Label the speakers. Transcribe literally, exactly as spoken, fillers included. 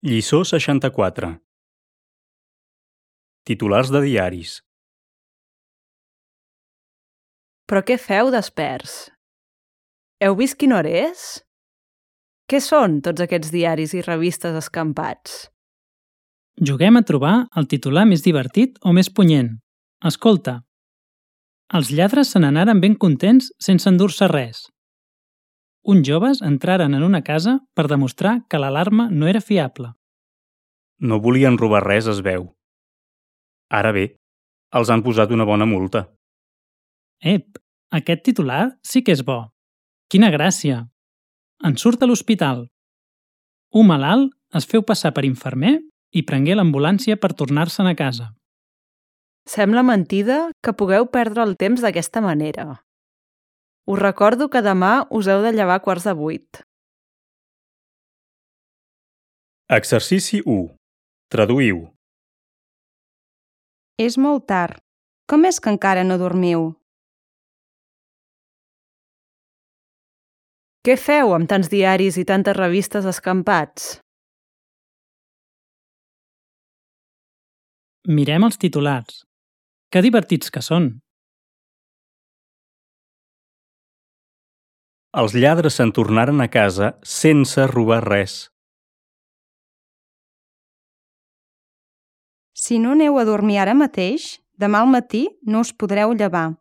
Speaker 1: Lliçó seixanta-quatre. Titulars de diaris.
Speaker 2: Però què feu desperts? Heu vist quina hora és? Què són tots aquests diaris i revistes escampats?
Speaker 3: Juguem a trobar el titular més divertit o més punyent. Escolta. Els lladres se n'anaren ben contents sense endur-se res. Uns joves entraren en una casa per demostrar que l'alarma no era fiable.
Speaker 1: No volien robar res, es veu. Ara bé, els han posat una bona multa.
Speaker 3: Ep, aquest titular sí que és bo. Quina gràcia! En surt a l'hospital. Un malalt es feu passar per infermer i prengué l'ambulància per tornar-se'n a casa.
Speaker 2: Sembla mentida que pugueu perdre el temps d'aquesta manera. Us recordo que demà us heu de llevar a quarts de vuit.
Speaker 1: Exercici u. Traduïu.
Speaker 4: És molt tard. Com és que encara no dormiu?
Speaker 2: Què feu amb tants diaris i tantes revistes escampats?
Speaker 3: Mirem els titulars. Que divertits que són!
Speaker 1: Els lladres se'n tornaren a casa sense robar res.
Speaker 4: Si no aneu a dormir ara mateix, demà al matí no us podreu llevar.